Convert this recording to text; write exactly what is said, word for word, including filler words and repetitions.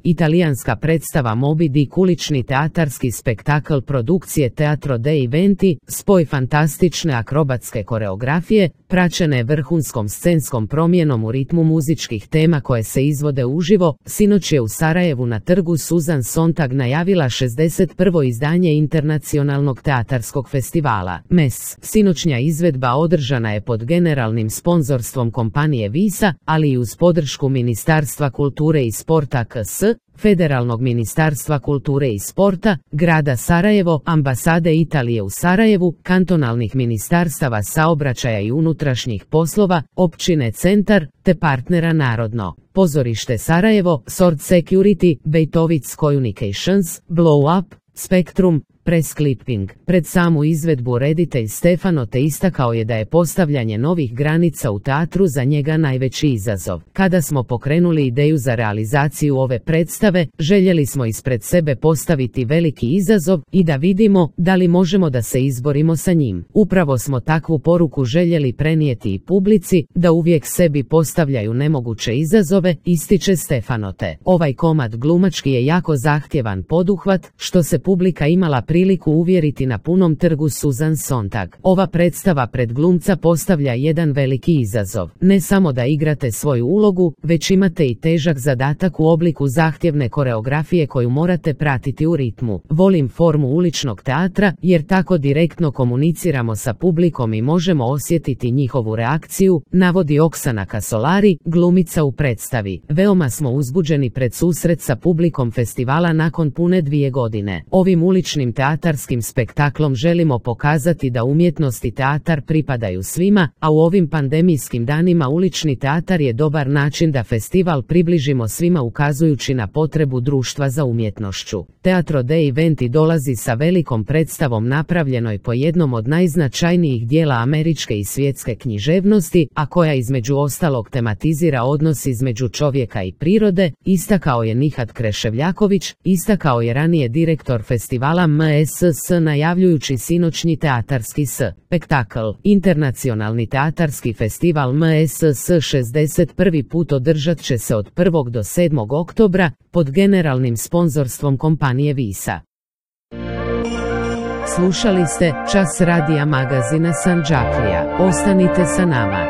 Italijanska predstava Moby Dick, ulični teatarski spektakl produkcije Teatro dei Venti, spoj fantastične akrobatske koreografije, praćene vrhunskom scenskom promjenom u ritmu muzičkih tema koje se izvode uživo, sinoć je u Sarajevu na trgu Susan Sontag najavila šezdeset prvo izdanje Internacionalnog teatarskog festivala M E S. Sinoćnja izvedba održana je pod generalnim sponzorstvom kompanije Visa, ali i uz podršku Ministarstva kulture i sporta K S, Federalnog ministarstva kulture i sporta, grada Sarajevo, ambasade Italije u Sarajevu, kantonalnih ministarstava saobraćaja i unutrašnjih poslova, općine Centar, te partnera Narodno pozorište Sarajevo, Sword Security, Bejtovic Communications, Blow Up, Spektrum, Press Clipping. Pred samu izvedbu reditelj Stefano te istakao je da je postavljanje novih granica u teatru za njega najveći izazov. Kada smo pokrenuli ideju za realizaciju ove predstave, željeli smo ispred sebe postaviti veliki izazov i da vidimo da li možemo da se izborimo sa njim. Upravo smo takvu poruku željeli prenijeti i publici, da uvijek sebi postavljaju nemoguće izazove, ističe Stefano te. Ovaj komad glumački je jako zahtjevan poduhvat, što se publika imala priliku uvjeriti na punom trgu Susan Sontag. Ova predstava pred glumca postavlja jedan veliki izazov. Ne samo da igrate svoju ulogu, već imate i težak zadatak u obliku zahtjevne koreografije koju morate pratiti u ritmu. Volim formu uličnog teatra, jer tako direktno komuniciramo sa publikom i možemo osjetiti njihovu reakciju, navodi Oksana Kasolari, glumica u predstavi. Veoma smo uzbuđeni pred susret sa publikom festivala nakon pune dvije godine. Ovim uličnim teatarskim spektaklom želimo pokazati da umjetnost i teatar pripadaju svima, a u ovim pandemijskim danima ulični teatar je dobar način da festival približimo svima, ukazujući na potrebu društva za umjetnošću. Teatro dei Venti dolazi sa velikom predstavom napravljenoj po jednom od najznačajnijih dijela američke i svjetske književnosti, a koja između ostalog tematizira odnos između čovjeka i prirode, istakao je Nihat Kreševljaković, istakao je ranije direktor festivala M S S najavljujući sinoćnji teatarski spektakl. Internacionalni teatarski festival M S S šezdeset prvi put održat će se od prvog do sedmog oktobra pod generalnim sponzorstvom kompanije Visa. Slušali ste Čas radija magazina Sandžaklija. Ostanite sa nama.